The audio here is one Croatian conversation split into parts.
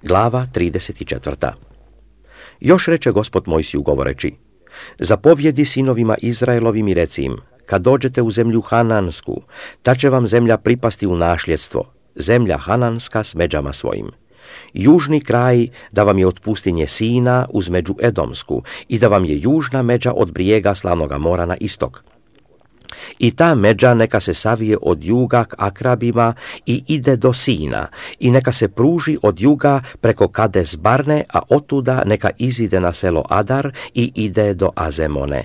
Glava 34. Još reče Gospod Mojsiju govoreći: zapovjedi sinovima Izraelovim i reci im: kad dođete u zemlju Hanansku, ta će vam zemlja pripasti u nasljedstvo, zemlja Hananska s međama svojim. Južni kraj da vam je od pustinje Sina uz među Edomsku i da vam je južna međa od brijega Slavnoga mora na istok. I ta međa neka se savije od juga k Akrabima i ide do Sina, i neka se pruži od juga preko Kades Barne, a otuda neka izide na selo Adar i ide do Azemone.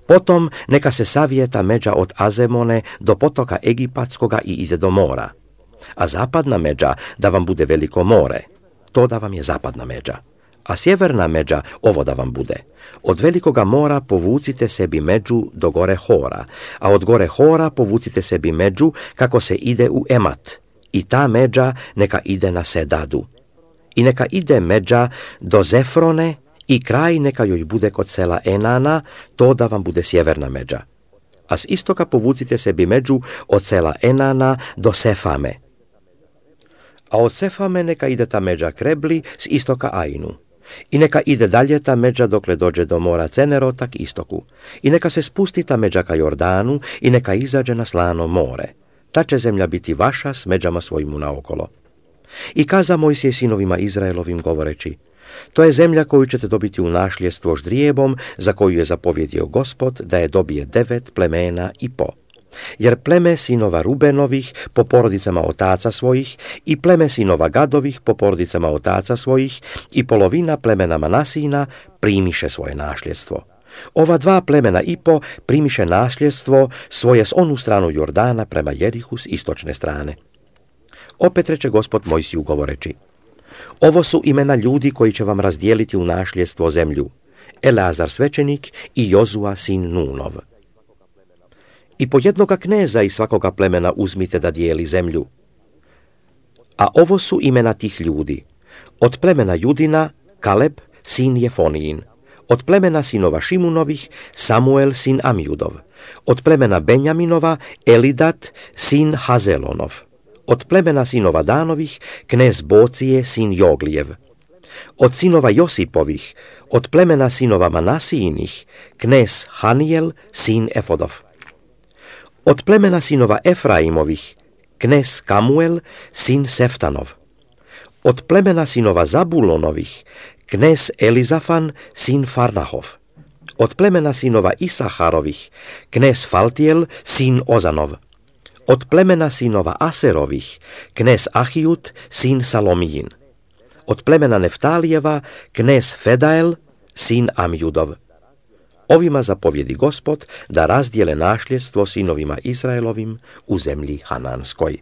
Potom neka se savije ta međa od Azemone do potoka Egipatskoga i ide do mora. A zapadna međa da vam bude veliko more, to da vam je zapadna međa. A sjeverna međa ovo da vam bude: od velikoga mora povucite sebi među do gore Hora, a od gore Hora povucite sebi među kako se ide u Emat, i ta međa neka ide na Sedadu. I neka ide međa do Zefrone, i kraj neka joj bude kod sela Enana, to da vam bude sjeverna međa. A s istoka povucite sebi među od sela Enana do Sefame. A od Sefame neka ide ta međa Krebli s istoka Ainu. I neka ide dalje ta međa dokle dođe do mora Cenerota k istoku. I neka se spusti ta međa ka Jordanu i neka izađe na Slano more. Ta će zemlja biti vaša s međama svojim naokolo. I kaza Mojsije sinovima Izraelovim govoreći: to je zemlja koju ćete dobiti u nasljedstvo ždrijebom, za koju je zapovjedio Gospod da je dobije 9 plemena i po. Jer pleme sinova Rubenovih po porodicama otaca svojih i pleme sinova Gadovih po porodicama otaca svojih i polovina plemena Manasina primiše svoje nasljedstvo. Ova 2 plemena i po primiše nasljedstvo svoje s onu stranu Jordana prema Jerihu s istočne strane. Opet reče Gospod Mojsiju govoreći: ovo su imena ljudi koji će vam razdijeliti u nasljedstvo zemlju: Eleazar svećenik i Jozua sin Nunov. I po jednoga kneza iz svakoga plemena uzmite da dijeli zemlju. A ovo su imena tih ljudi: od plemena Judina Kaleb sin Jefonijin, od plemena sinova Šimunovih Samuel sin Amjudov, od plemena Benjaminova Elidat sin Hazelonov, od plemena sinova Danovih knez Bocije sin Joglijev, od sinova Josipovih, od plemena sinova Manasijinih knez Hanijel sin Efodov, od plemena sinova Efraimovih knez Kamuel sin Seftanov, od plemena sinova Zabulonovih knez Elizafan sin Farnahov, od plemena sinova Isaharovih knez Faltiel sin Ozanov, od plemena sinova Aserovih knez Ahijut sin Salomijin, od plemena Neftalijeva knez Fedael sin Amjudov. Ovima zapovjedi Gospod da razdijele nasljedstvo sinovima Izraelovim u zemlji Hananskoj.